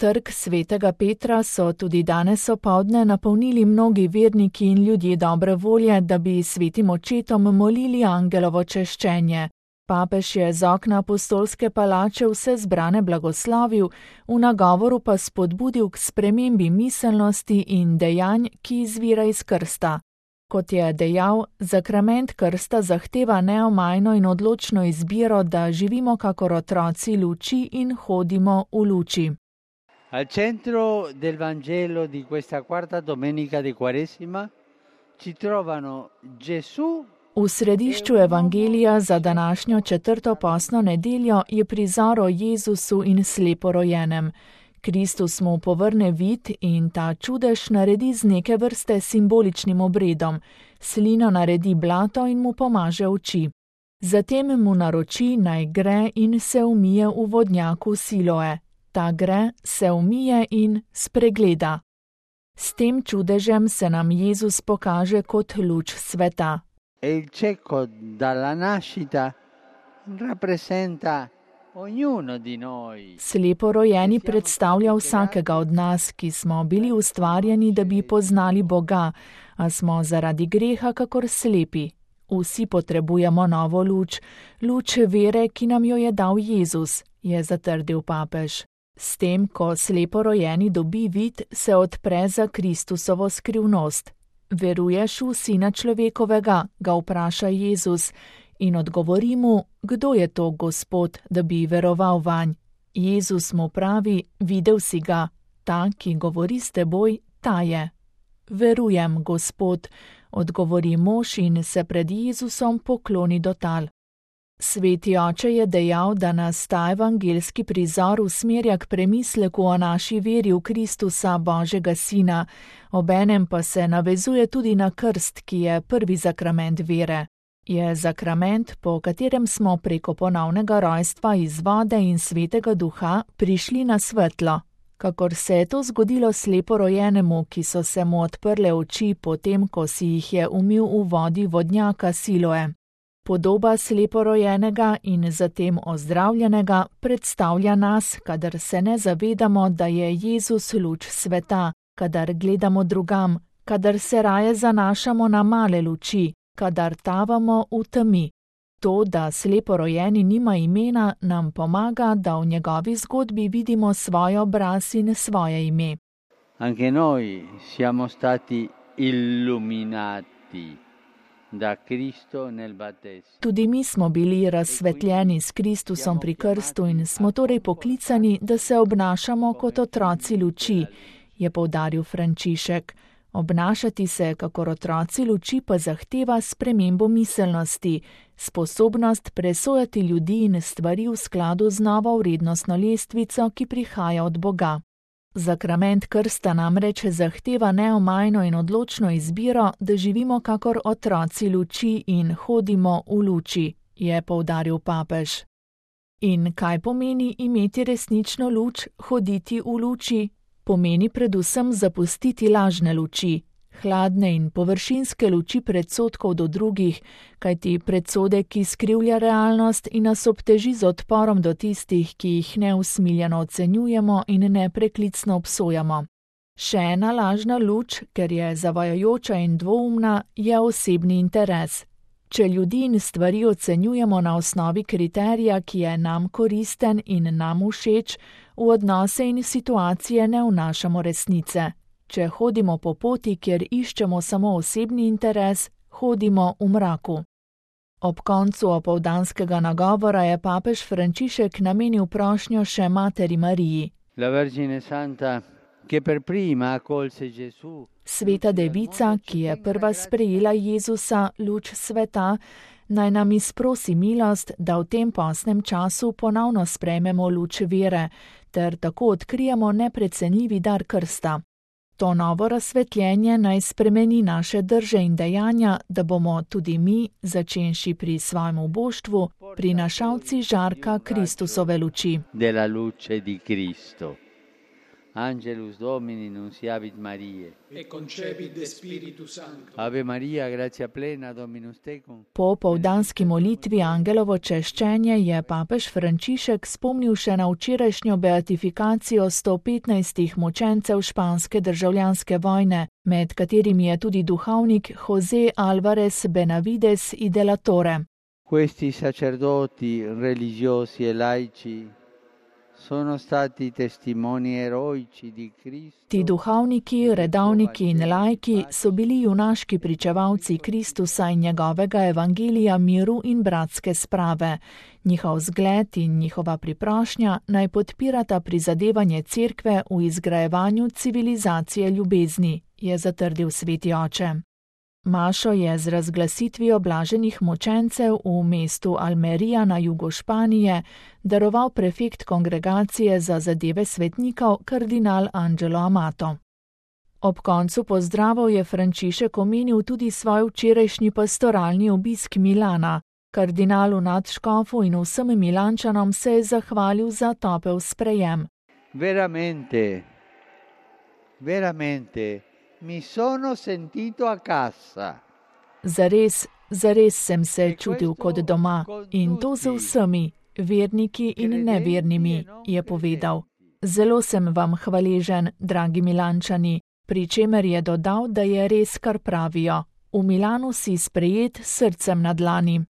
Trg svetega Petra so tudi danes opoldne napolnili mnogi verniki in ljudje dobre volje, da bi svetim očetom molili angelovo češčenje. Papež je z okna apostolske palače vse zbrane blagoslovil, v nagovoru pa spodbudil k spremembi miselnosti in dejanj, ki izvira iz krsta. Kot je dejal, zakrament krsta zahteva neomajno in odločno izbiro, da živimo kakor otroci luči in hodimo v luči. Al centro del Vangelo di questa quarta domenica di Quaresima ci trovano Gesù. V središču evangelija za današnjo četrto postno nedeljo je prizor o Jezusu in sleporojenem. Kristus mu povrne vid in ta čudež naredi z neke vrste simboličnim obredom. Slino naredi blato in mu pomaže oči. Zatem mu naroči, naj gre in se umije v vodnjaku Siloe. Ta gre, se umije in spregleda. S tem čudežem se nam Jezus pokaže kot luč sveta. Il cieco dalla nascita rappresenta ognuno di noi. Sleporojeni predstavlja vsakega od nas, ki smo bili ustvarjeni, da bi poznali Boga, a smo zaradi greha kakor slepi. Vsi potrebujemo novo luč, luč vere, ki nam jo je dal Jezus, je zatrdil papež. S tem, ko sleporojeni dobi vid, se odpre za Kristusovo skrivnost. Veruješ v Sina človekovega, ga vpraša Jezus in odgovori mu, kdo je to Gospod, da bi veroval vanj. Jezus mu pravi, videl si ga, ta, ki govori s teboj, ta je. Verujem, Gospod, odgovori mož in se pred Jezusom pokloni do tal. Sveti oče je dejal, da nas ta evangelski prizor usmerja k premisleku o naši veri v Kristusa, Božjega Sina, obenem pa se navezuje tudi na krst, ki je prvi zakrament vere. Je zakrament, po katerem smo preko ponovnega rojstva iz vode in svetega duha prišli na svetlo. Kakor se je to zgodilo sleporojenemu, ki so se mu odprle oči potem, ko si jih je umil v vodi vodnjaka Siloe. Podoba sleporojenega in zatem ozdravljenega predstavlja nas, kadar se ne zavedamo, da je Jezus luč sveta, kadar gledamo drugam, kadar se raje zanašamo na male luči, kadar tavamo v temi. To, da sleporojeni nima imena, nam pomaga, da v njegovi zgodbi vidimo svoj obraz in svoje ime. Anche noi siamo stati illuminati da Cristo nel battesimo. Tudi mi smo bili razsvetljeni s Kristusom pri krstu in smo torej poklicani, da se obnašamo kot otroci luči, je poudaril Frančišek. Obnašati se kakor otroci luči pa zahteva spremembo miselnosti, sposobnost presojati ljudi in stvari v skladu z novo vrednostno lestvico, ki prihaja od Boga. Zakrament krsta namreč zahteva neomajno in odločno izbiro, da živimo kakor otroci luči in hodimo v luči, je poudaril papež. In kaj pomeni imeti resnično luč, hoditi v luči? Pomeni predvsem zapustiti lažne luči, hladne in površinske luči predsodkov do drugih, kajti predsodek, ki skrivlja realnost in nas obteži z odporom do tistih, ki jih neusmiljeno ocenjujemo in nepreklicno obsojamo. Še ena lažna luč, ker je zavajajoča in dvoumna, je osebni interes. Če ljudi in stvari ocenjujemo na osnovi kriterija, ki je nam koristen in nam všeč, v odnose in situacije ne vnašamo resnice. Če hodimo po poti, kjer iščemo samo osebni interes, hodimo v mraku. Ob koncu opoldanskega nagovora je papež Frančišek namenil prošnjo še materi Mariji. La Vergine Santa, che per prima accolse Gesù. Sveta devica, ki je prva sprejela Jezusa, luč sveta, naj nam izprosi milost, da v tem postnem času ponovno sprejmemo luč vere, ter tako odkrijemo neprecenljivi dar krsta. To novo razsvetljenje naj spremeni naše drže in dejanja, da bomo tudi mi, začenši pri svojem uboštvu, prinašalci žarka Kristusove luči. Della luce di Cristo. Angelus Domini nunciavit Mariae. Et concepit de Spiritu Sancto. Ave Maria, gratia plena, Dominus tecum. Po povdanski molitvi Angelovo češčenje je papež Frančišek spomnil še na včerajšnjo beatifikacijo 115 mučencev španske državljanske vojne, med katerimi je tudi duhovnik José Álvarez Benavides y de la Torre. Questi sacerdoti religiosi e laici sono stati testimoni eroici di Cristo. Ti duhovniki, redovniki in laiki so bili junaški pričevalci Kristusa in njegovega evangelija miru in bratske sprave. Njihov zgled in njihova priprošnja naj podpirata prizadevanje cerkve v izgrajevanju civilizacije ljubezni, je zatrdil sveti oče. Mašo je z razglasitvijo blaženih mučencev v mestu Almería na jugu Španije daroval prefekt kongregacije za zadeve svetnikov kardinal Angelo Amato. Ob koncu pozdravov je Frančišek omenil tudi svoj včerajšnji pastoralni obisk Milana. Kardinalu nadškofu in vsem Milančanom se je zahvalil za topel sprejem. Veramente. Mi sono sentito a casa. Zares sem se čutil kot doma in to z vsemi, verniki in nevernimi, je povedal. Zelo sem vam hvaležen, dragi Milančani, pri čemer je dodal, da je res, kar pravijo. V Milanu si sprejet s srcem na dlani.